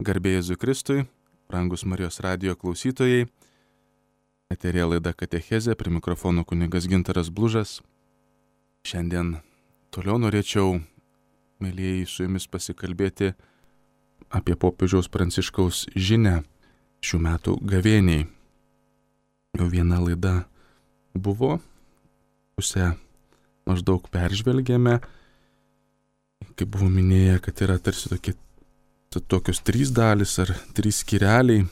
Garbė Jėzui Kristui, brangus Marijos radijo klausytojai, eterija laida Katechezė, prie mikrofono kunigas Gintaras Blužas. Šiandien toliau norėčiau, mėlyjeji, su jumis pasikalbėti apie popiežiaus Pranciškaus žinią šių metų gavėniai. Jau viena laida buvo, pusę maždaug peržvelgėme, kaip buvo minėję, kad yra tarsi tokios 3 dalis ar 3 skyreliai.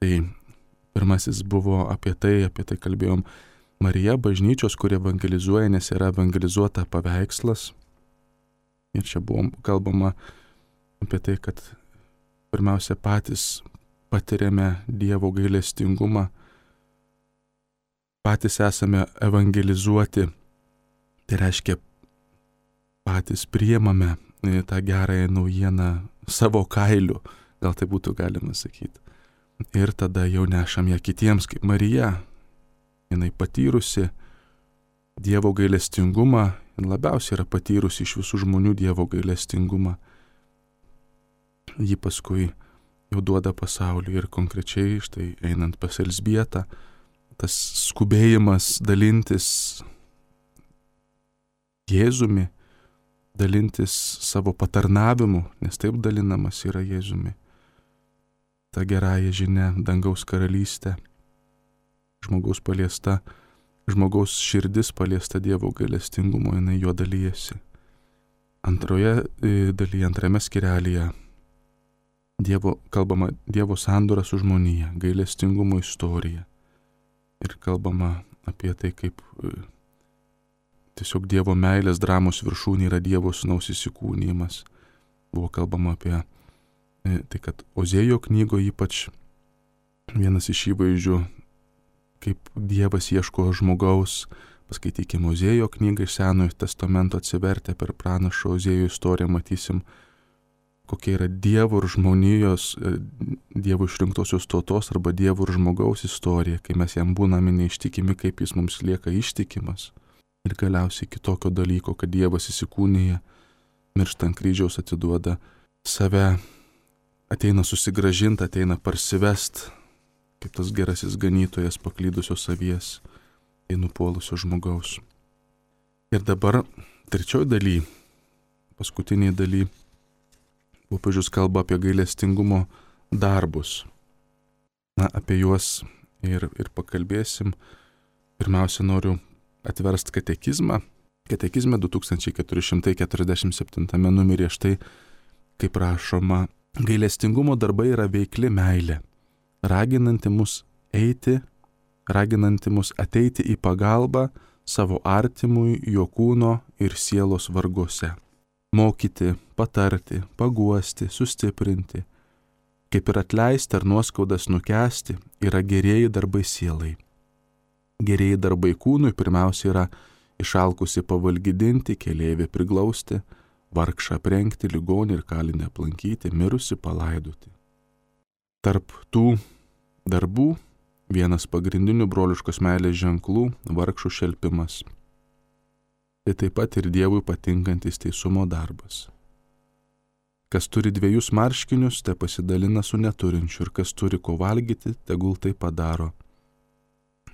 Tai pirmasis buvo apie tai kalbėjom, Marija bažnyčios, kurie evangelizuoja, nes yra evangelizuota paveikslas. Ir čia buvo kalbama apie tai, kad pirmiausia patys patiriame Dievo gailestingumą, patys esame evangelizuoti, tai reiškia patys priimame tą gerąją naujieną savo kailiu, gal tai būtų galima sakyti. Ir tada jau nešam ją kitiems, kaip Marija. Jinai patyrusi Dievo gailestingumą, ir labiausiai yra patyrusi iš visų žmonių Dievo gailestingumą. Ji paskui jau duoda pasauliui ir konkrečiai, štai einant pas Elzbietą, tas skubėjimas dalintis Jėzumi, dalintis savo patarnavimu, nes taip dalinamas yra Jėzumi. Ta gerąja žinia, dangaus karalystė, žmogaus paliesta, žmogaus širdis paliesta Dievo gailestingumo, jinai juo dalyjasi. Antroje dalyje, antrame skyrelyje, kalbama Dievo sandora su žmonija, gailestingumo istorija. Ir kalbama apie tai, kaip tiesiog Dievo meilės dramos viršūnė yra Dievo sūnaus įsikūnijimas. Buvo kalbama apie tai, kad Ozėjo knygoje ypač vienas iš įvaizdžių, kaip Dievas ieško žmogaus. Paskaitykime Ozėjo knygą iš Senojo testamento, atsivertę per pranašo Ozėjo istoriją, matysim, kokia yra Dievo ir žmonijos, Dievo išrinktosios tautos arba Dievo ir žmogaus istorija, kai mes jam būname neištikimi, kaip jis mums lieka ištikimas. Ir galiausiai kitokio dalyko, kad Dievas įsikūnija, miršta ant kryžiaus, atiduoda save, ateina susigrąžinti, ateina parsivest, kaip tas gerasis ganytojas paklydusios avies, tai nupuolusio žmogaus. Ir dabar trečioji daly, paskutiniai daly, popiežius kalba apie gailestingumo darbus. Apie juos ir pakalbėsim. Pirmiausia, noriu atverst katekizmą. Katekizme 2447 numeryje štai, kaip rašoma, gailestingumo darbai yra veikli meilė, raginanti mus ateiti į pagalbą savo artimui jo kūno ir sielos varguose. Mokyti, patarti, paguosti, sustiprinti, kaip ir atleisti ar nuoskaudas nukęsti, yra gerieji darbai sielai. Gerieji darbai kūnui pirmiausia yra išalkusi pavalgydinti, keleivį priglausti, vargšą aprengti, ligonį ir kalinį aplankyti, mirusi palaidoti. Tarp tų darbų vienas pagrindinių broliškos meilės ženklų - vargšų šelpimas. Tai taip pat ir Dievui patinkantis teisumo darbas. Kas turi 2 marškinius, te pasidalina su neturinčiu, ir kas turi ko valgyti, tegul tai padaro.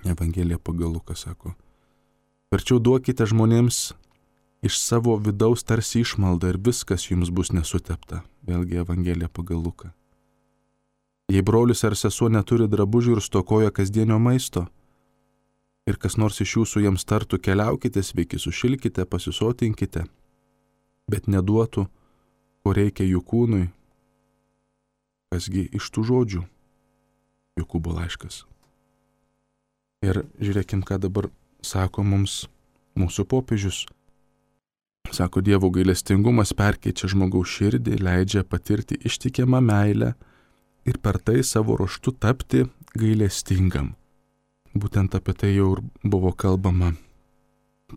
Evangelija pagal Luką sako: verčiau duokite žmonėms iš savo vidaus tarsi išmaldą ir viskas jums bus nesutepta. Vėlgi Evangelija pagal Luką. Jei brolis ar sesuo neturi drabužių ir stokoja kasdienio maisto, ir kas nors iš jūsų jiems tartų: keliaukite, sveiki, sušilkite, pasisotinkite, bet neduotų, ko reikia jų kūnui, kasgi iš tų žodžių? Jokūbo laiškas. Ir žiūrėkim, ką dabar sako mums mūsų popiežius. Sako, Dievo gailestingumas perkeičia žmogaus širdį, leidžia patirti ištikimą meilę ir per tai savo ruožtu tapti gailestingam. Būtent apie tai jau ir buvo kalbama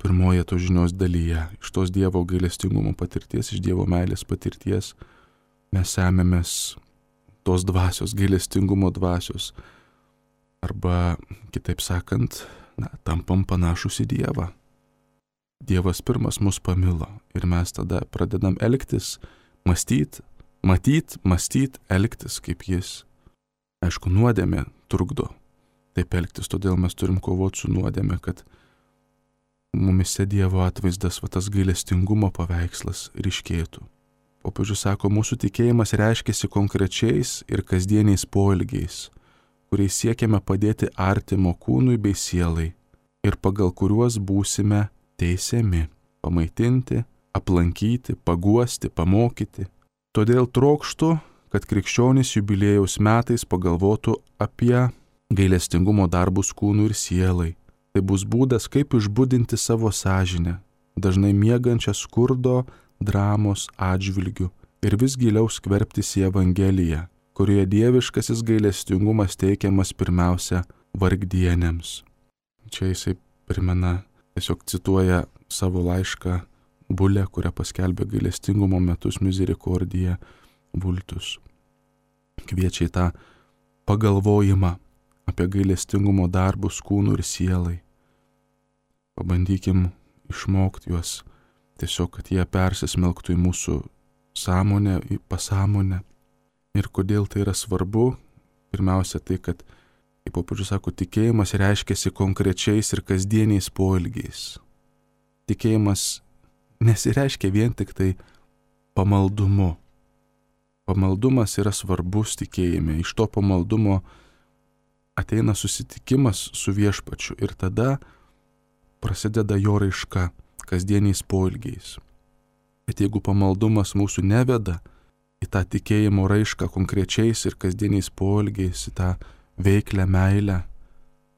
pirmoje to žinios dalyje. Iš tos Dievo gailestingumo patirties, iš Dievo meilės patirties mes semėmės tos dvasios, gailestingumo dvasios. Arba, kitaip sakant, tampam panašus į Dievą. Dievas pirmas mus pamilo ir mes tada pradedam elgtis, mąstyti mąstyt, elgtis kaip jis. Aišku, nuodėmė trukdo taip elgtis, todėl mes turim kovoti su nuodėmė, kad mumise Dievo atvaizdas, tas gailestingumo paveikslas ryškėtų. Popiežius sako, mūsų tikėjimas reiškiasi konkrečiais ir kasdieniais poelgiais, kuriais siekiame padėti artimo kūnui bei sielai ir pagal kuriuos būsime teisiami, pamaitinti, aplankyti, paguosti, pamokyti. Todėl trokštu, kad krikščionys jubiliejaus metais pagalvotų apie gailestingumo darbus kūnui ir sielai. Tai bus būdas, kaip išbudinti savo sąžinę, dažnai miegančią skurdo, dramos atžvilgių ir vis giliau skverbtis į Evangeliją, kurioje dieviškasis gailestingumas teikiamas pirmiausia vargdienėms. Čia jisai primena, tiesiog cituoja savo laišką Bulę, kurią paskelbė gailestingumo metus Misericordia Vultus. Kviečia į tą pagalvojimą apie gailestingumo darbus kūnų ir sielai. Pabandykim išmokti juos tiesiog, kad jie persismelktų į mūsų sąmonę, į pasąmonę. Ir kodėl tai yra svarbu? Pirmiausia tai, kad, kaip popiežius sako, tikėjimas reiškiasi konkrečiais ir kasdieniais poelgiais. Tikėjimas nesireiškia vien tik tai pamaldumu. Pamaldumas yra svarbus tikėjime. Iš to pamaldumo ateina susitikimas su viešpačiu ir tada prasideda jo raiška kasdieniais poelgiais. Bet jeigu pamaldumas mūsų neveda į tą tikėjimo raišką konkrečiais ir kasdieniais poelgiais, į tą veiklę meilę,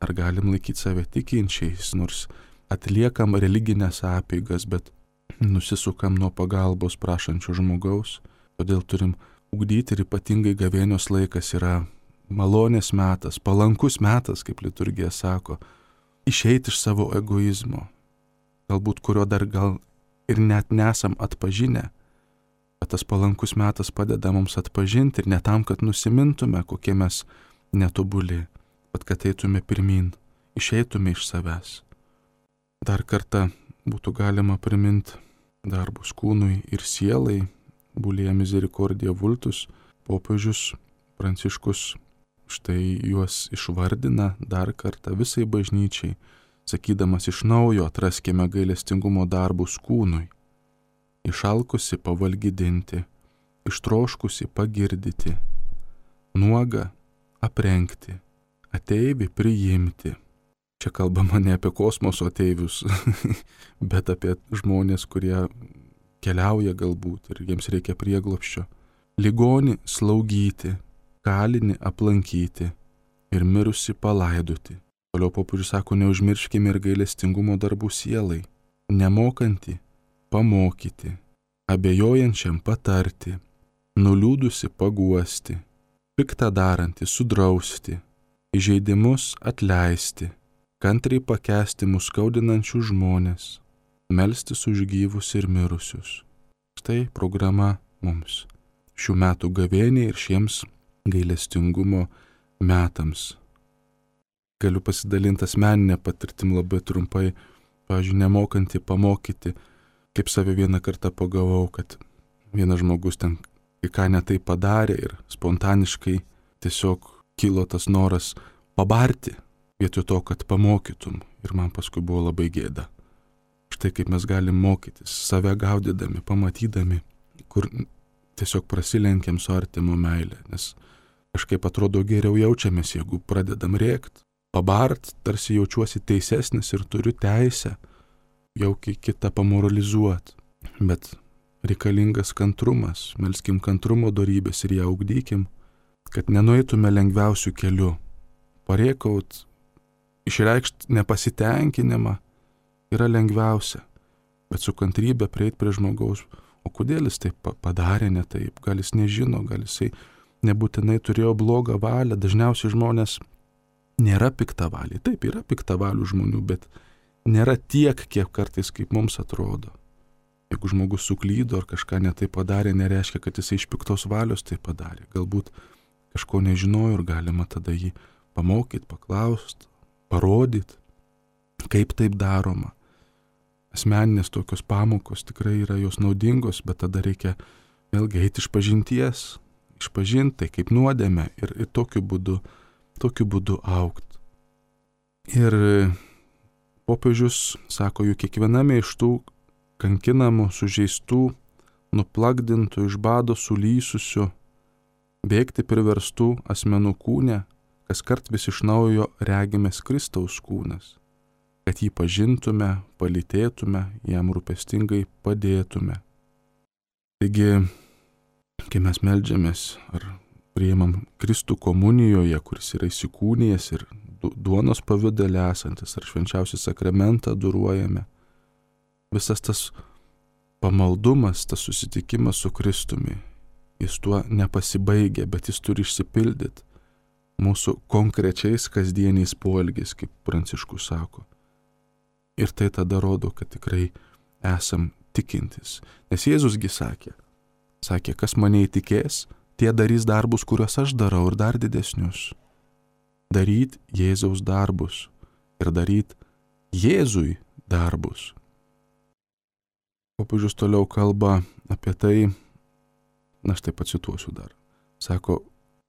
ar galim laikyti save tikinčiais, nors atliekam religinės apeigas, bet nusisukam nuo pagalbos prašančių žmogaus. Todėl turim ugdyti ir ypatingai gavėnios laikas yra malonės metas, palankus metas, kaip liturgija sako, išeiti iš savo egoizmo, galbūt kurio dar gal ir net nesam atpažinę, bet tas palankus metas padeda mums atpažinti ir ne tam, kad nusimintume, kokie mes netobuli, bet kad eitume pirmin, išeitume iš savęs. Dar kartą būtų galima priminti darbus kūnui ir sielai, Bulėje Misericordia Vultus, popiežius Pranciškus štai juos išvardina dar kartą visai bažnyčiai, sakydamas iš naujo atraskime gailestingumo darbus kūnui, išalkusi pavalgydinti, ištroškusi pagirdyti, nuogą aprengti, ateivį priimti. Čia kalbama ne apie kosmoso ateivius, bet apie žmonės, kurie keliauja galbūt ir jiems reikia prieglobsčio. Ligonį slaugyti, kalinį aplankyti ir mirusi palaidoti. Toliau popiežius sako, neužmirškime ir gailestingumo darbų sielai, nemokantį pamokyti, abejojančiam patarti, nuliūdusi paguosti, piktą darantį sudrausti, įžeidimus atleisti, kantriai pakęsti mus skaudinančių žmonės, melstis už gyvus ir mirusius. Štai programa mums šių metų gavėniai ir šiems gailestingumo metams. Galiu pasidalinti asmeninę patirtim labai trumpai, pavyzdžiui, nemokantį pamokyti, kaip save vieną kartą pagavau, kad vienas žmogus ten ką netai padarė ir spontaniškai tiesiog kilo tas noras pabarti, vietoj to, kad pamokytum, ir man paskui buvo labai gėda. Štai kaip mes galim mokytis, save gaudydami, pamatydami, kur tiesiog prasilenkiam su artimo meilė, nes kažkaip atrodo geriau jaučiamės, jeigu pradedam rėkt, pabart, tarsi jaučiuosi teisesnis ir turiu teisę jau kitą pamoralizuot. Bet reikalingas kantrumas, melskim kantrumo dorybės ir ją ugdykim, kad nenueitume lengviausių kelių. Parėkaut, išreikšt nepasitenkinimą yra lengviausia, bet su kantrybė prieit prie žmogaus, o kodėl jis taip padarė ne taip, gal jis nežino, gal jisai nebūtinai turėjo blogą valią, dažniausiai žmonės nėra piktavaliai, taip yra piktavalių žmonių, bet nėra tiek, kiek kartais kaip mums atrodo. Jeigu žmogus suklydo ar kažką netai padarė, nereiškia, kad jisai iš piktos valios tai padarė. Galbūt kažko nežinojo ir galima tada jį pamokyti, paklausti, parodyti, kaip taip daroma. Asmeninės tokios pamokos tikrai yra jos naudingos, bet tada reikia vėlgi eiti iš pažinties, išpažinti kaip nuodėmę ir tokiu būdu augti. Ir popiežius sako, juk kiekviename iš tų kankinamų, sužeistų, nuplakdintų, iš bado sulysusių, bėgti priverstų asmenų kūne, kaskart vis iš naujo regimės Kristaus kūnas, kad jį pažintume, palytėtume, jam rūpestingai padėtume. Taigi, kai mes meldžiamės ar priimam Kristų komunijoje, kuris yra įsikūnijęs ir duonos pavidale esantis, ar švenčiausią sakramentą adoruojame, visas tas pamaldumas, tas susitikimas su Kristumi, jis tuo nepasibaigia, bet jis turi išsipildyti mūsų konkrečiais kasdieniais poelgiais, kaip Pranciškus sako. Ir tai tada rodo, kad tikrai esam tikintis. Nes Jėzusgi sakė, kas mane įtikės, tie darys darbus, kuriuos aš darau, ir dar didesnius. Daryt Jėzaus darbus ir daryt Jėzui darbus. Popiežius toliau kalba apie tai, aš taip pacituosiu dar. Sako,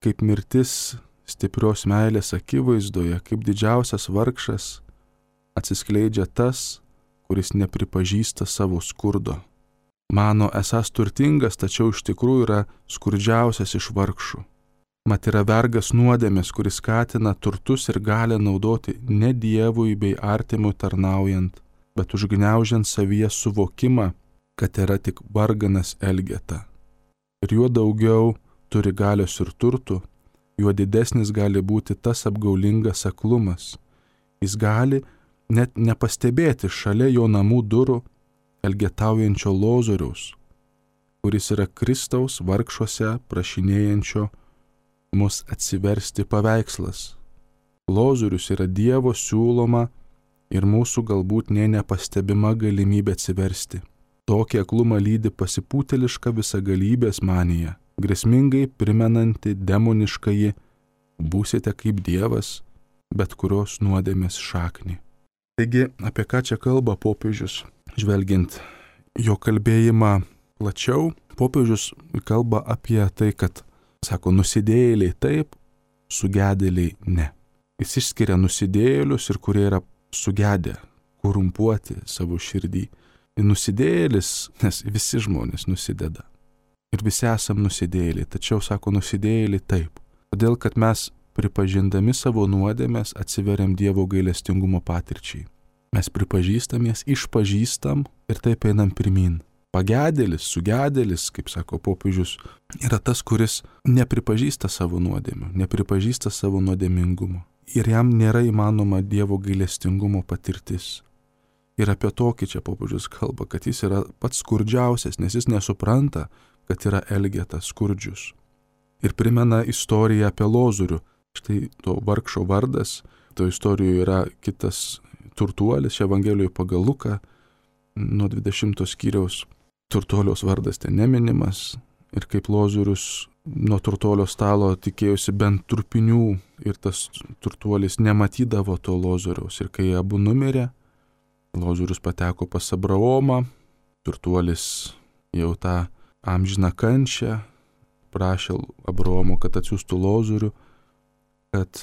kaip mirtis stiprios meilės akivaizdoje, kaip didžiausias vargšas atsiskleidžia tas, kuris nepripažįsta savo skurdo. Mano esąs turtingas, tačiau iš tikrųjų yra skurdžiausias iš vargšų. Mat yra vergas nuodėmės, kuris skatina turtus ir gali naudoti ne Dievui bei artimui tarnaujant, bet užgniaužiant savyje suvokimą, kad yra tik varganas elgeta. Ir juo daugiau turi galios ir turtų, juo didesnis gali būti tas apgaulingas aklumas. Jis gali net nepastebėti šalia jo namų durų elgetaujančio Lozoriaus, kuris yra Kristaus vargšuose prašinėjančio mus atsiversti paveikslas. Lozorius yra Dievo siūloma ir mūsų galbūt nepastebima galimybė atsiversti. Tokį aklumą lydi pasipūtėliška visagalybės manija, grėsmingai primenanti demoniškąjį būsite kaip Dievas, bet kurios nuodėmės šaknį. Taigi, apie ką čia kalba popiežius? Žvelgiant jo kalbėjimą plačiau, popiežius kalba apie tai, kad, sako, nusidėjėliai taip, sugedėliai ne. Jis išskiria nusidėjėlius ir kurie yra sugedę, korumpuoti savo širdį. Nusidėjėlis, nes visi žmonės nusideda. Ir visi esam nusidėjėliai, tačiau, sako, nusidėjėliai taip. Todėl, kad mes pripažindami savo nuodėmės atsiveriam Dievo gailestingumo patirčiai. Mes pripažįstamės, išpažįstam ir taip einam pirmin. Pagedėlis, sugedėlis, kaip sako popiežius, yra tas, kuris nepripažįsta savo nuodėmių, nepripažįsta savo nuodėmingumo. Ir jam nėra įmanoma Dievo gailestingumo patirtis. Ir apie tokį čia popiežius kalba, kad jis yra pats skurdžiausias, nes jis nesupranta, kad yra elgetas skurdžius. Ir primena istoriją apie Lozorių. Štai to vargšo vardas, to istorijoje yra kitas turtuolis, Evangelijoje pagal Luką, nuo 20 skyriaus. Turtuoliaus vardas ten neminimas. Ir kaip Lozorius nuo turtuolio stalo tikėjosi bent trupinių ir tas turtuolis nematydavo to Lozoriaus. Ir kai abu numirė, Lozorius pateko pas Abraomą, turtuolis jau tą amžiną kančią, prašė Abraomo, kad atsiųstų Lozorių, kad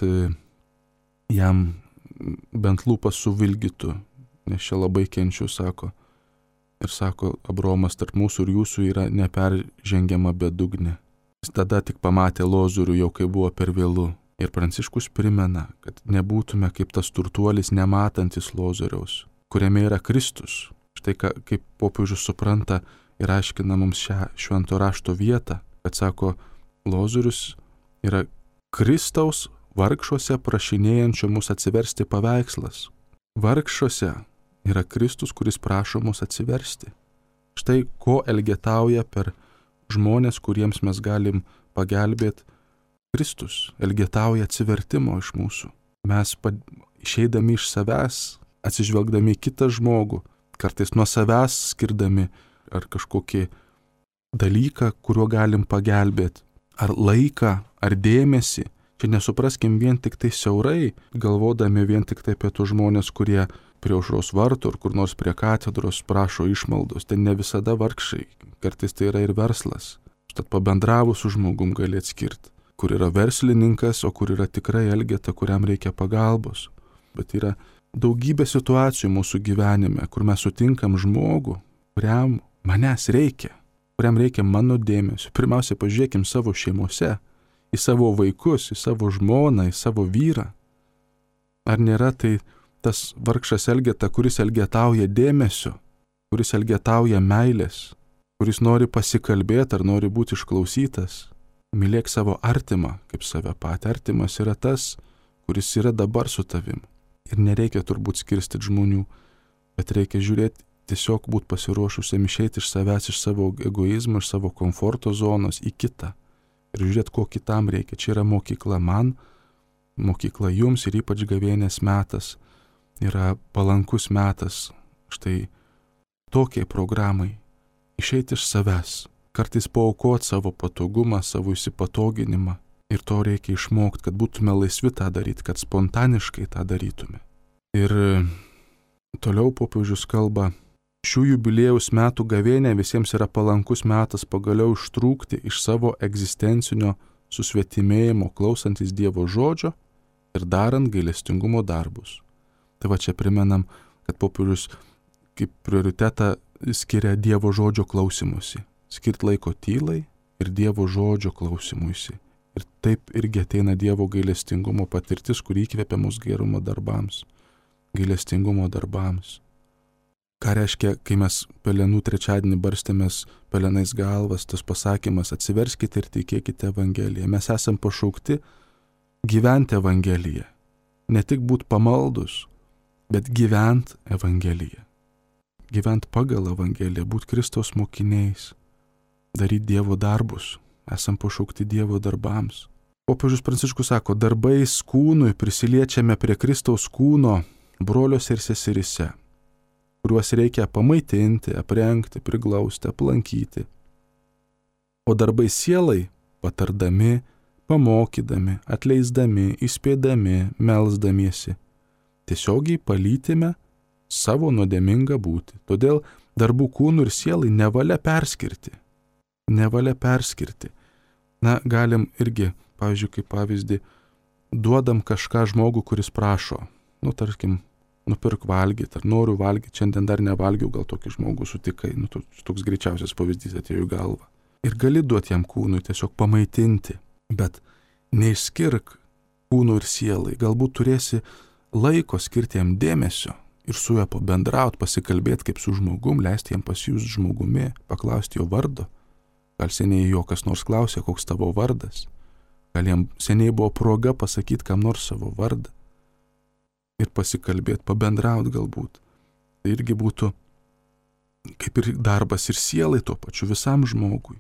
jam bent lūpas suvilgytų, nes čia labai kenčiu, sako. Ir sako, Abraomas, tarp mūsų ir jūsų yra neperžengiama bedugnė. Jis tada tik pamatė Lozorių, jau kai buvo per vėlu. Ir Pranciškus primena, kad nebūtume kaip tas turtuolis nematantis Lozoriaus, kuriame yra Kristus. Štai kaip popiežius supranta ir aiškina mums šią švento rašto vietą, kad sako, Lozorius yra Kristaus vargšuose prašinėjančio mus atsiversti paveikslas. Vargšuose yra Kristus, kuris prašo mus atsiversti. Štai ko elgetauja per žmonės, kuriems mes galim pagelbėti. Kristus elgetauja atsivertimo iš mūsų. Mes išeidami iš savęs, atsižvelgdami į kitą žmogų, kartais nuo savęs skirdami ar kažkokį dalyką, kuriuo galim pagelbėti, ar laiką, ar dėmesį. Čia nesupraskim vien tik tai siaurai, galvodami vien tik tai apie tų žmonės, kurie prie aušros vartų ar kur nors prie katedros prašo išmaldos. Tai ne visada vargšai, kartais tai yra ir verslas. Štat pabendravus su žmogum gali atskirti, kur yra verslininkas, o kur yra tikrai elgeta, kuriam reikia pagalbos. Bet yra daugybė situacijų mūsų gyvenime, kur mes sutinkam žmogų, kuriam manęs reikia, kuriam reikia mano dėmesio. Pirmiausia, pažiūrėkim savo šeimose, į savo vaikus, į savo žmoną, į savo vyrą. Ar nėra tai tas vargšas elgeta, kuris elgetauja dėmesio, kuris elgetauja meilės, kuris nori pasikalbėti ar nori būti išklausytas? Mylėk savo artimą kaip save patį. Artimas yra tas, kuris yra dabar su tavim. Ir nereikia turbūt skirstyti žmonių, bet reikia žiūrėti, tiesiog būti pasiruošusiam išeiti iš savęs, iš savo egoizmo, iš savo komforto zonos į kitą. Ir žiūrėti, ko kitam reikia. Čia yra mokykla man, mokykla jums ir ypač gavėnės metas yra palankus metas štai tokiai programai. Išeiti iš savęs, kartais paaukoti savo patogumą, savo įsipatoginimą. Ir to reikia išmokti, kad būtume laisvi tą daryti, kad spontaniškai tą darytume. Ir toliau popiežius kalba, šių jubiliejaus metų gavėnė visiems yra palankus metas pagaliau ištrūkti iš savo egzistencinio susvetimėjimo, klausantis Dievo žodžio ir darant gailestingumo darbus. Tai va čia primenam, kad popiežius kaip prioritetą skiria Dievo žodžio klausimusi. Skirt laiko tylai ir Dievo žodžio klausimuisi. Ir taip irgi ateina Dievo gailestingumo patirtis, kur įkvepia mus gerumo darbams, gailestingumo darbams. Ką reiškia, kai mes pelenų trečiadienį barstėmės pelenais galvas, tas pasakymas, atsiverskite ir tikėkite Evangeliją. Mes esam pašaukti gyventi Evangeliją. Ne tik būti pamaldus, bet gyventi Evangeliją. Gyventi pagal Evangeliją, būti Kristaus mokiniais, daryti Dievo darbus. Esam pašaukti Dievo darbams. Popiežius Pranciškus sako, darbais kūnui prisiliečiame prie Kristaus kūno broliuose ir seserise, kuriuos reikia pamaitinti, aprengti, priglausti, aplankyti. O darbai sielai patardami, pamokydami, atleisdami, įspėdami, melsdamiesi, tiesiogiai palytime savo nuodėmingą būtį. Todėl darbų kūnų ir sielai nevalia perskirti. Nevalia perskirti. Na, galim irgi, pavyzdžiui, kaip pavyzdį, duodam kažką žmogų, kuris prašo, tarkim, nupirk valgyti, ar noriu valgyti, šiandien dar nevalgiau, gal tokį žmogų sutikai, toks greičiausias pavyzdys atėjo į galvą. Ir gali duoti jam kūnui, tiesiog pamaitinti, bet neišskirk kūnų ir sielai, galbūt turėsi laiko skirti jam dėmesio ir su juo pabendrauti, pasikalbėti kaip su žmogum, leisti jam pasijust žmogumi, paklausti jo vardo. Gal seniai jo kas nors klausė, koks tavo vardas. Gal jam seniai buvo proga pasakyti kam nors savo vardą. Ir pasikalbėti, pabendrauti galbūt. Tai irgi būtų kaip ir darbas ir sielai tuo pačiu visam žmogui.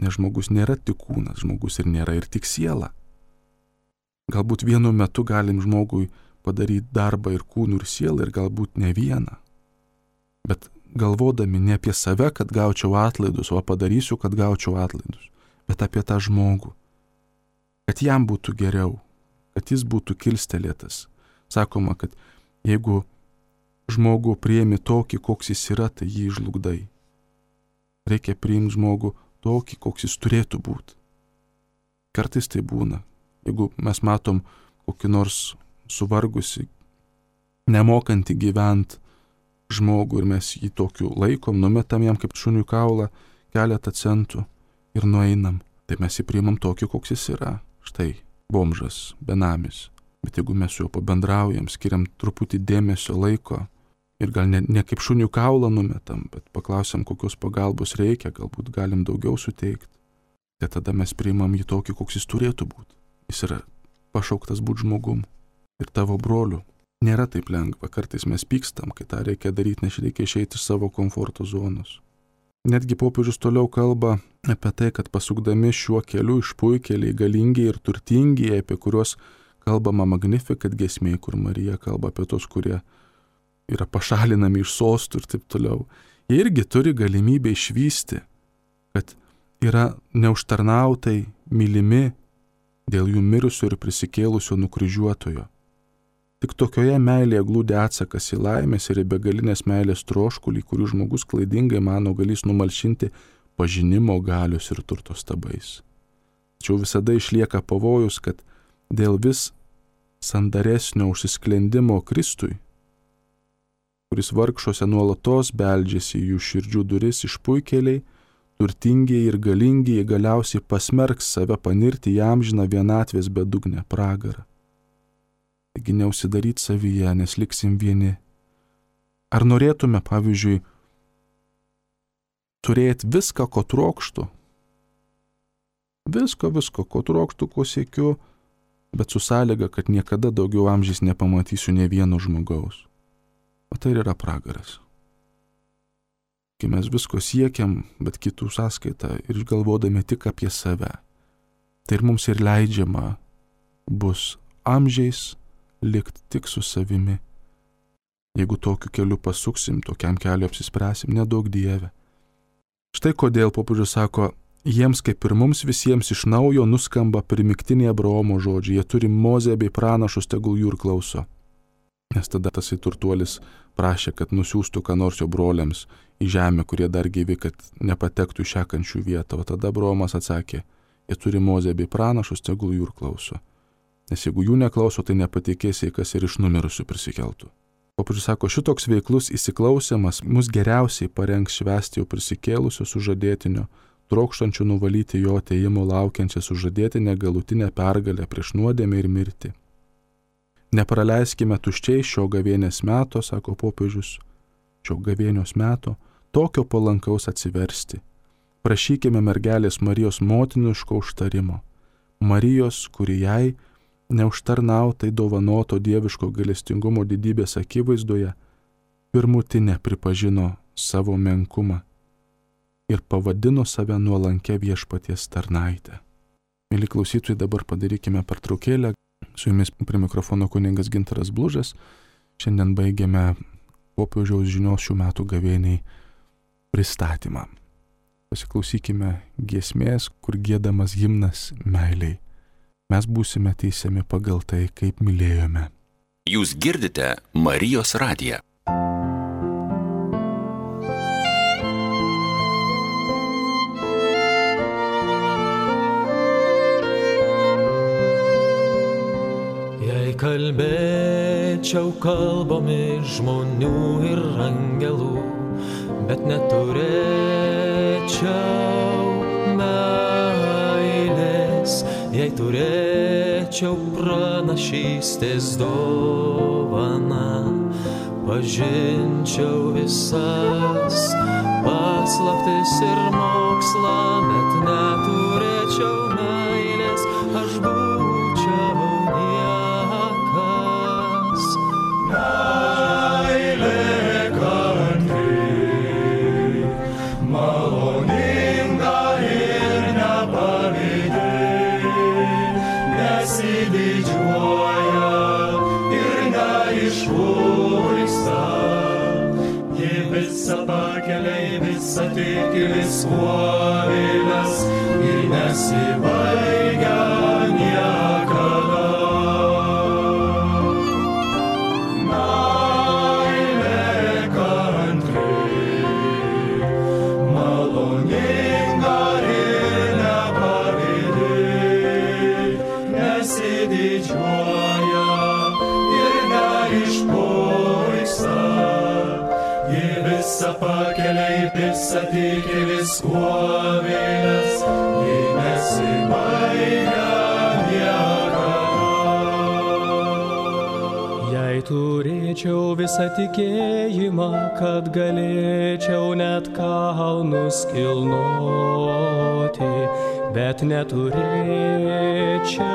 Nes žmogus nėra tik kūnas, žmogus ir nėra ir tik siela. Galbūt vienu metu galim žmogui padaryti darbą ir kūnų ir sielą ir galbūt ne vieną. Bet galvodami ne apie save, kad gaučiau atlaidus, o padarysiu, kad gaučiau atlaidus, bet apie tą žmogų. Kad jam būtų geriau, kad jis būtų kilstelėtas. Sakoma, kad jeigu žmogų priimi tokį, koks jis yra, tai jį žlugdai. Reikia priimti žmogų tokį, koks jis turėtų būti. Kartais tai būna. Jeigu mes matom kokį nors suvargusi, nemokantį gyventi žmogų ir mes jį tokiu laikom, numetam jam kaip šuniui kaulą keletą centų ir nueinam, tai mes jį priimam tokį, koks jis yra. Štai, bomžas, benamis. Bet jeigu mes su juo pabendraujam, skiriam truputį dėmesio, laiko ir gal ne kaip šuniui kaulą numetam, bet paklausiam, kokios pagalbos reikia, galbūt galim daugiau suteikti, tai tada mes priimam jį tokį, koks jis turėtų būti. Jis yra pašauktas būti žmogum ir tavo broliu. Nėra taip lengva, kartais mes pykstam, kai tą reikia daryti, nes reikia išeiti iš savo komforto zonos. Netgi popiežius toliau kalba apie tai, kad pasukdami šiuo keliu išpuikėliai, galingiai ir turtingiai, apie kuriuos kalbama Magnificat giesmėje, kur Marija kalba apie tos, kurie yra pašalinami iš sostų ir taip toliau. Jie irgi turi galimybę išvysti, kad yra neužtarnautai mylimi dėl jų mirusio ir prisikėlusio nukryžiuotojo. Tik tokioje meilėje glūdi atsakas į laimės ir į begalinės meilės troškulį, kurių žmogus klaidingai mano galės numalšinti pažinimo galios ir turto stabais. Tačiau visada išlieka pavojus, kad dėl vis sandaresnio užsisklendimo Kristui, kuris vargšuose nuolatos beldžiasi į jų širdžių duris, išpuikėliai, turtingieji ir galingieji galiausiai pasmerks save panirti į amžiną vienatvės bedugnę pragarą. Taigi neužsidaryt savyje, nes liksim vieni. Ar norėtume, pavyzdžiui, turėti viską, ko trokštų? Visko, ko trokštų, ko siekiu, bet su sąlyga, kad niekada daugiau amžiais nepamatysiu ne vieno žmogaus. O tai yra pragaras. Kai mes visko siekiam, bet kitų sąskaitą ir galvodami tik apie save, tai ir mums ir leidžiama bus amžiais likti tik su savimi. Jeigu tokiu keliu pasuksim, tokiam keliu apsispręsim, nedaug Dieve. Štai kodėl popiežius sako, jiems kaip ir mums visiems iš naujo nuskamba primygtiniai Abraomo žodžiai, jie turi Mozę bei pranašus, tegul jų ir klauso. Nes tada tasai turtuolis prašė, kad nusiųstų ką nors jo broliams į žemę, kurie dar gyvi, kad nepatektų į šią kančių vietą. O tada Abraomas atsakė, jie turi Mozę bei pranašus, tegul jų ir klauso. Nes jeigu jų neklauso, tai nepatikėsi, kas ir iš numirusių prisikeltų. Popiežius sako, šitoks veiklus įsiklausimas mus geriausiai parengs švęsti jau prisikėlusio sužadėtinio, trokštančių nuvalyti jo atėjimo laukiančią sužadėtinę galutinę pergalę prieš nuodėmę ir mirtį. Nepraleiskime tuščiai šio gavėnės meto, sako popiežius, šio gavėnios meto, tokio palankaus atsiversti. Prašykime mergelės Marijos motiniško užtarimo. Marijos, kuri jai neužtarnautai dovanoto dieviško gailestingumo didybės akivaizdoje, pirmutinė pripažino savo menkumą ir pavadino save nuolankia viešpaties tarnaite. Mėly klausytojai, dabar padarykime pertraukėlę. Su jumis prie mikrofono kunigas Gintaras Blužas. Šiandien baigiame popiežiaus žinios šių metų gavėniai pristatymą. Pasiklausykime giesmės, kur giedamas himnas meiliai. Mes būsime teisiami pagal tai, kaip mylėjome. Jūs girdite Marijos radiją. Kalbėčiau kalbomis žmonių ir angelų, bet neturėčiau meilės, jei turėčiau pranašystės dovaną, pažinčiau visas paslaptis ir mokslą, bet neturėčiau meilės, aš būčiau viskuo vėlės ir nesibaigia niekada. Meilė kantri, maloninga ir nepavydi, nesididžiuoja ir neišpuiksta. Ji visą pakelia į visą tiki viskuo vėlės, ji nesibaigia niekada. Jei turėčiau visą tikėjimą, kad galėčiau net kalnus kilnoti, bet neturėčiau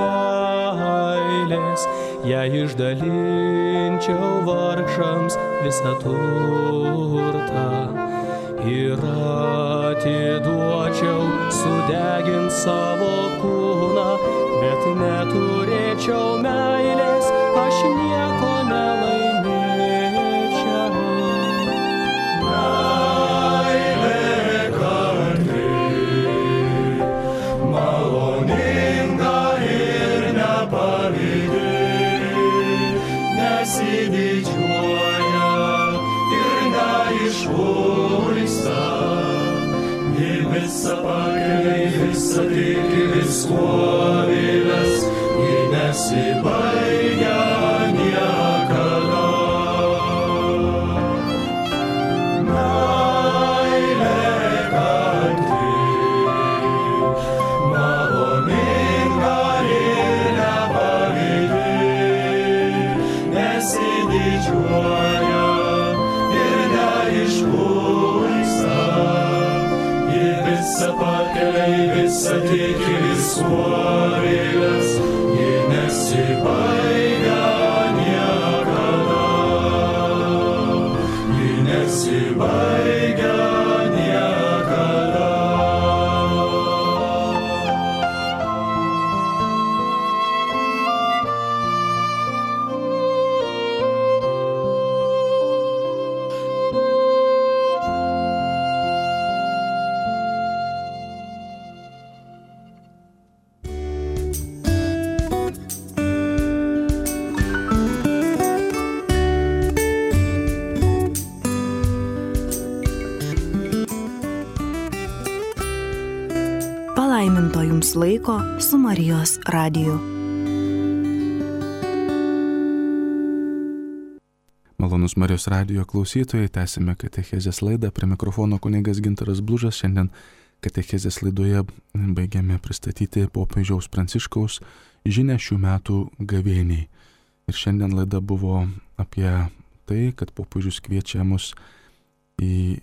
meilės, jei išdalinčiau vargšams visą turtą ir atiduočiau sudegint savo kūną, bet neturėčiau meilės, aš nieko nelaimėčiau. Meilė kantri, maloninga ir nepavydi, nesididžiuoja ir neišpuiksta. tiki viskuo vėlės, ji nesibaigia niekada. Meilė kantri, maloninga ir nepavydi, nesididžiuoja ir neišpuiksta. Ji visa pakelia, visa tiki viskuo vėlės, ji nesibaigia niekada. Ji nesibaigia niekada. Palaiminto jums laiko su Marijos radiju. Malonus Marijos radijo klausytojai, tęsime katechezės laidą. Prie mikrofono kunigas Gintaras Blužas. Šiandien katechezės laidoje baigiame pristatyti popiežiaus Pranciškaus žinią šių metų gavėniai. Ir šiandien laida buvo apie tai, kad popiežius kviečia mus į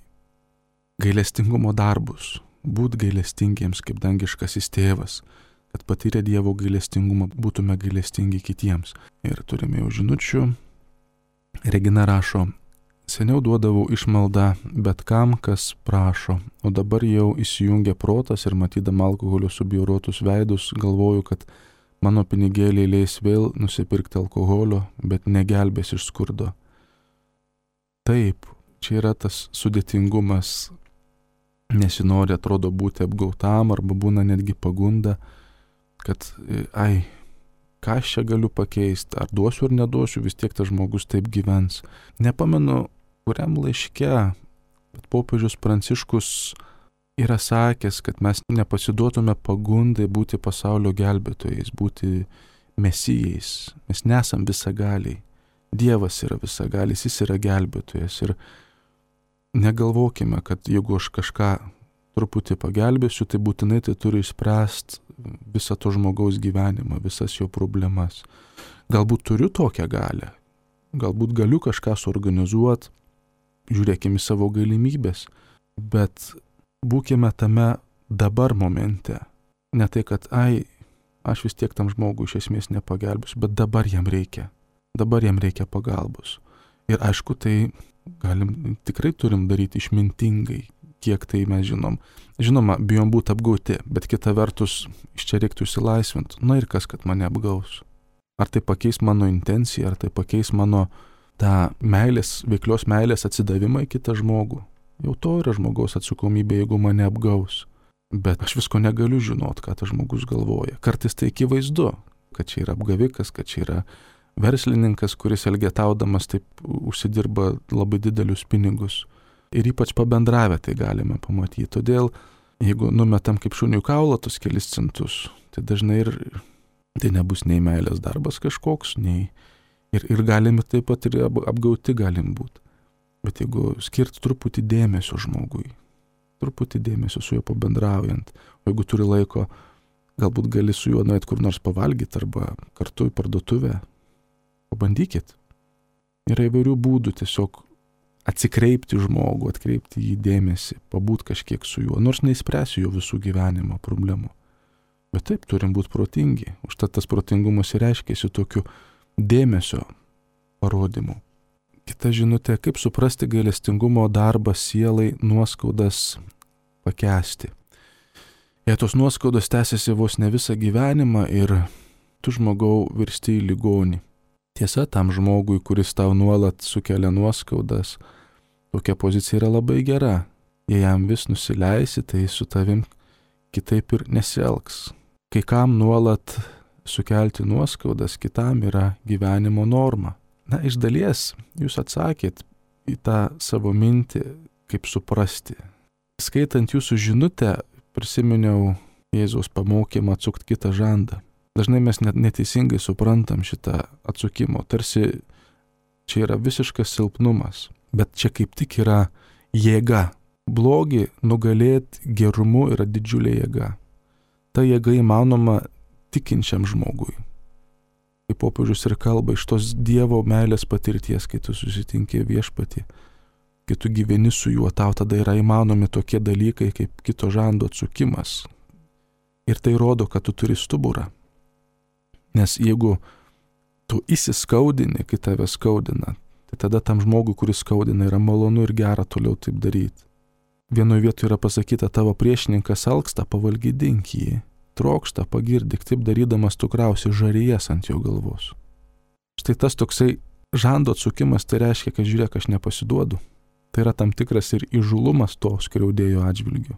gailestingumo darbus. Būt gailestingiems kaip dangiškasis tėvas, kad patyrę Dievo gailestingumą būtume gailestingi kitiems. Ir turime jau žinučių. Regina rašo: seniau duodavau išmaldą bet kam, kas prašo, o dabar jau įsijungia protas ir matydama alkoholio subjaurotus veidus, galvoju, kad mano pinigėliai leis vėl nusipirkti alkoholio, bet negelbės iš skurdo. Taip, čia yra tas sudėtingumas. Nesinori, atrodo, būti apgautam arba būna netgi pagunda, kad ką aš čia galiu pakeisti, ar duosiu ar neduosiu, vis tiek tas žmogus taip gyvens. Nepamenu, kuriam laiške, bet popiežius Pranciškus yra sakęs, kad mes nepasiduotume pagundai būti pasaulio gelbėtojais, būti mesijais. Mes nesam visagaliai. Dievas yra visagalis, jis yra gelbėtojas. Ir negalvokime, kad jeigu aš kažką truputį pagelbėsiu, tai būtinai tai turi išspręsti visą to žmogaus gyvenimą, visas jo problemas. Galbūt turiu tokią galią, galbūt galiu kažką suorganizuoti, žiūrėkime savo galimybės, bet būkime tame dabar momente. Ne tai, kad aš vis tiek tam žmogui iš esmės nepagelbėsiu, bet dabar jam reikia pagalbos. Ir aišku, tai tikrai turim daryti išmintingai, kiek tai mes žinom. Žinoma, bijom būti apgauti, bet kita vertus, iš čia reiktų išsilaisvinti. Na ir kas, kad mane apgaus? Ar tai pakeis mano intenciją, ar tai pakeis mano tą meilės, veiklios meilės atsidavimą į kitą žmogų? Jau to yra žmogaus atsakomybė, jeigu mane apgaus. Bet aš visko negaliu žinot, ką tas žmogus galvoja. Kartais tai akivaizdu, kad čia yra apgavikas, kad čia yra verslininkas, kuris elgetaudamas taip užsidirba labai didelius pinigus. Ir ypač pabendravę tai galime pamatyti. Todėl, jeigu numetam kaip šuniui kaulą tos kelis centus, tai dažnai ir tai nebus nei meilės darbas kažkoks, nei ir galime taip pat ir apgauti galim būti. Bet jeigu skirti truputį dėmesio žmogui, truputį dėmesio su juo pabendraujant, o jeigu turi laiko, galbūt gali su juo nueit kur nors pavalgyti arba kartu į parduotuvę, pabandykit. Yra įvairių būdų tiesiog atsikreipti žmogų, atkreipti jį dėmesį, pabūt kažkiek su juo, nors neįspręsiu jo visų gyvenimo problemų. Bet taip, turim būti protingi. Užtat tas protingumas ir reiškiasi tokiu dėmesio parodymu. Kita žinutė, kaip suprasti gailestingumo darbą sielai nuoskaudas pakęsti. Jei tos nuoskaudos tęsiasi vos ne visą gyvenimą ir tu žmogau virsti į ligonį. Tiesa, tam žmogui, kuris tau nuolat sukelia nuoskaudas, tokia pozicija yra labai gera. Jei jam vis nusileisi, tai su tavim kitaip ir nesielgs. Kai kam nuolat sukelti nuoskaudas, kitam yra gyvenimo norma. Na, iš dalies jūs atsakėt į tą savo mintį, kaip suprasti. Skaitant jūsų žinutę, prisiminiau Jėzaus pamokymą atsukti kitą žandą. Dažnai mes neteisingai suprantam šitą atsukimo, tarsi čia yra visiškas silpnumas, bet čia kaip tik yra jėga. Blogį nugalėti gerumu yra didžiulė jėga. Ta jėga įmanoma tikinčiam žmogui. Kaip popiežius ir kalba, iš tos Dievo meilės patirties, kai tu susitinki Viešpatį, kai tu gyveni su juo, tau tada yra įmanomi tokie dalykai kaip kito žando atsukimas. Ir tai rodo, kad tu turi stuburą. Nes jeigu tu įsiskaudini, kai tave skaudina, tai tada tam žmogui, kuris skaudina, yra malonu ir gera toliau taip daryti. Vienoje vietoje yra pasakyta, tavo priešininkas alksta, pavalgydink jį, trokšta, pagirdik, taip darydamas tu krausi žarijas ant jo galvos. Štai tas toksai žando atsukimas, tai reiškia, kad žiūrėk, aš nepasiduodu. Tai yra tam tikras ir įžulumas to skriaudėjo atžvilgiu.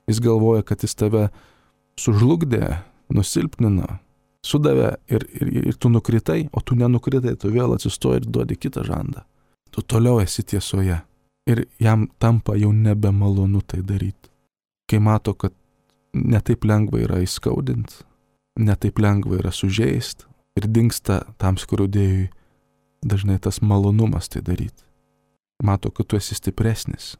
Jis galvoja, kad jis tave sužlugdė, nusilpnino, sudavė ir tu nukritai, o tu nenukritai, tu vėl atsistoji ir duodi kitą žandą. Tu toliau esi tiesoje. Ir jam tampa jau nebemalonu tai daryti. Kai mato, kad netaip lengva yra įskaudinti, netaip lengva yra sužeisti ir dingsta tam skriaudėjui dažnai tas malonumas tai daryti. Mato, kad tu esi stipresnis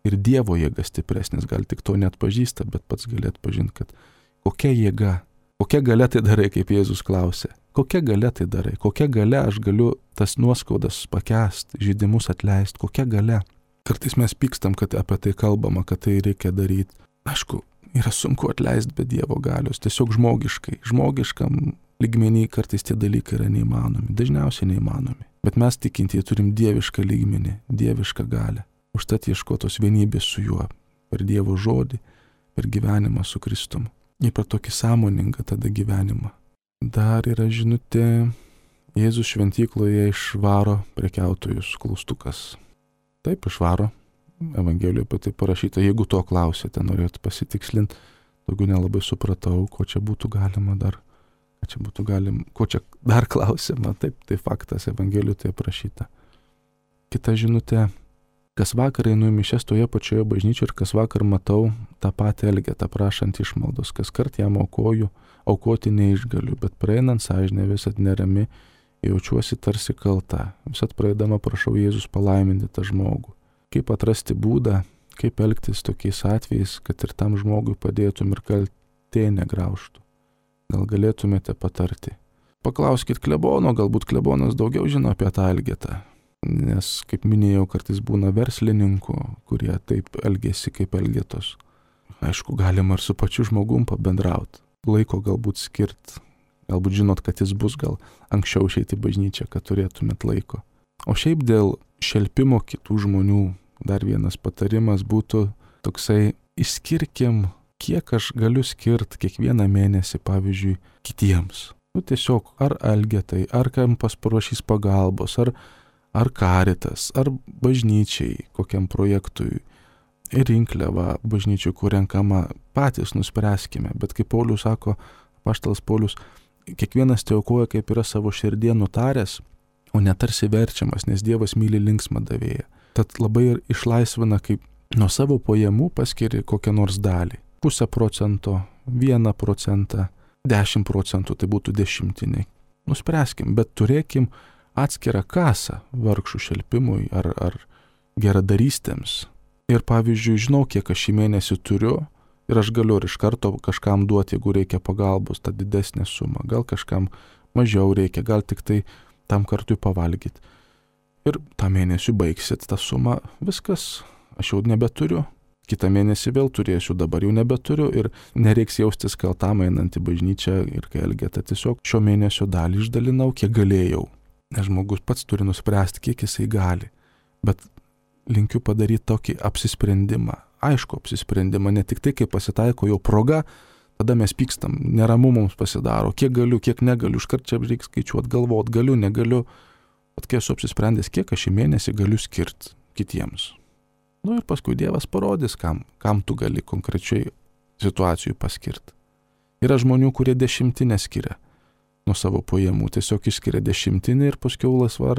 ir Dievo jėga stipresnis, gal tik to net pažįsta, bet pats gali atpažinti, kad kokia jėga, kokia galia tai darai, kaip Jėzus klausė. Kokia galia tai darai, kokia galia aš galiu tas nuoskaudas pakęsti, žeidimus atleisti, kokia galia. Kartais mes pykstam, kad apie tai kalbama, kad tai reikia daryti. Aišku, yra sunku atleisti be Dievo galios, tiesiog žmogiškam lygmenį kartais tie dalykai yra neįmanomi, dažniausiai neįmanomi. Bet mes tikintieji turim dievišką lygmenį, dievišką galią. Užtat ieškotos vienybės su juo, per Dievo žodį, per gyvenimą su Kristumi. Ir per tokį sąmoningą tada gyvenimą. Dar yra žinutė, Jėzus šventykloje išvaro prekiautojus, klaustukas. Taip išvaro, Evangelijoje apie tai parašyta, jeigu to klausėte, norėtų pasitikslinti, daugiau nelabai supratau, ko čia būtų galima dar, ko čia dar klausima, taip, tai faktas, Evangelijoje tai aprašyta. Kita žinutė, kas vakar einu į mišias toje pačioje bažnyčioje ir kas vakar matau tą patį elgetą prašant išmaldos, kas kart jam aukoju, aukoti neišgaliu, bet praeinant sąžinė visat nerami, jaučiuosi tarsi kalta. Visat praeidama prašau Jėzus palaiminti tą žmogų. Kaip atrasti būdą, kaip elgtis tokiais atvejais, kad ir tam žmogui padėtum ir kaltė negraužtų. Gal galėtumėte patarti. Paklauskit klebono, galbūt klebonas daugiau žino apie tą elgetą. Nes, kaip minėjau, kartais būna verslininkų, kurie taip elgesi kaip elgetos. Aišku, galima ir su pačiu žmogum pabendrauti. Laiko galbūt skirti. Galbūt žinot, kad jis bus gal anksčiau išeiti į bažnyčią, kad turėtumėt laiko. O šiaip dėl šelpimo kitų žmonių dar vienas patarimas būtų toksai, išskirkim, kiek aš galiu skirti kiekvieną mėnesį, pavyzdžiui, kitiems. Tiesiog ar elgetai, ar kam paprašys pagalbos, ar karitas, ar bažnyčiai, kokiam projektui, ir rinkliava bažnyčių, kur renkama, patys nuspręskime. Bet kaip Paulius sako, apaštalas Paulius, kiekvienas tai aukoja, kaip yra savo širdie nutaręs, o netarsi verčiamas, nes Dievas myli linksmą davėją. Tad labai ir išlaisvina, kaip nuo savo pajamų paskiri kokią nors dalį. 0,5%, 1%, 10%, tai būtų dešimtiniai. Nuspręskim, bet turėkim atskirą kasą vargšų šelpimui ar geradarystėms. Ir pavyzdžiui, žinau, kiek aš šį mėnesį turiu, ir aš galiu ir iš karto kažkam duoti, jeigu reikia pagalbos, tą didesnę sumą. Gal kažkam mažiau reikia, gal tik tai tam kartui pavalgyti. Ir tą mėnesį baigsit tą sumą, viskas, aš jau nebeturiu. Kitą mėnesį vėl turėsiu, dabar jau nebeturiu ir nereiks jaustis kaltam einant į bažnyčią ir kai elgeta. Tiesiog šio mėnesio dalį išdalinau, kiek galėjau. Nes žmogus pats turi nuspręsti, kiek jisai gali. Bet linkiu padaryti tokį apsisprendimą. Aišku, apsisprendimą, ne tik tai, kai pasitaiko jau proga, tada mes pykstam, neramu mums pasidaro, kiek galiu, kiek negaliu, iškart čia reikia skaičiuoti, galvoti, galiu, negaliu. Bet kai esu apsisprendęs, kiek aš šį mėnesį galiu skirti kitiems. Ir paskui Dievas parodys, kam tu gali konkrečiai situacijų paskirti. Yra žmonių, kurie dešimtinę skiria nuo savo pajamų, tiesiog išskiria dešimtinę ir paskui laisvą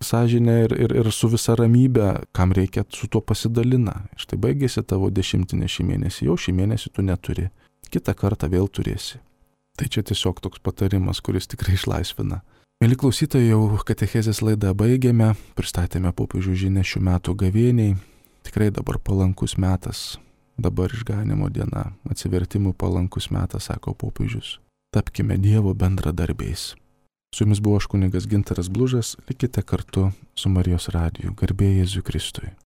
sąžinę ir su visa ramybė, kam reikia, su tuo pasidalina. Štai baigėsi tavo dešimtinė šį mėnesį, jau šį mėnesį tu neturi. kitą kartą vėl turėsi. Tai čia tiesiog toks patarimas, kuris tikrai išlaisvina. Mėly klausytojai, jau katechezės laidą baigėme, pristatėme popiežių žinią šių metų gavėniai. Tikrai dabar palankus metas, dabar išganimo diena, atsivertimų palankus metas, sako popiežius. Tapkime Dievo bendradarbiais. Su jumis buvo aš kunigas Gintaras Blužas, likite kartu su Marijos radiju. Garbė Jėzui Kristui.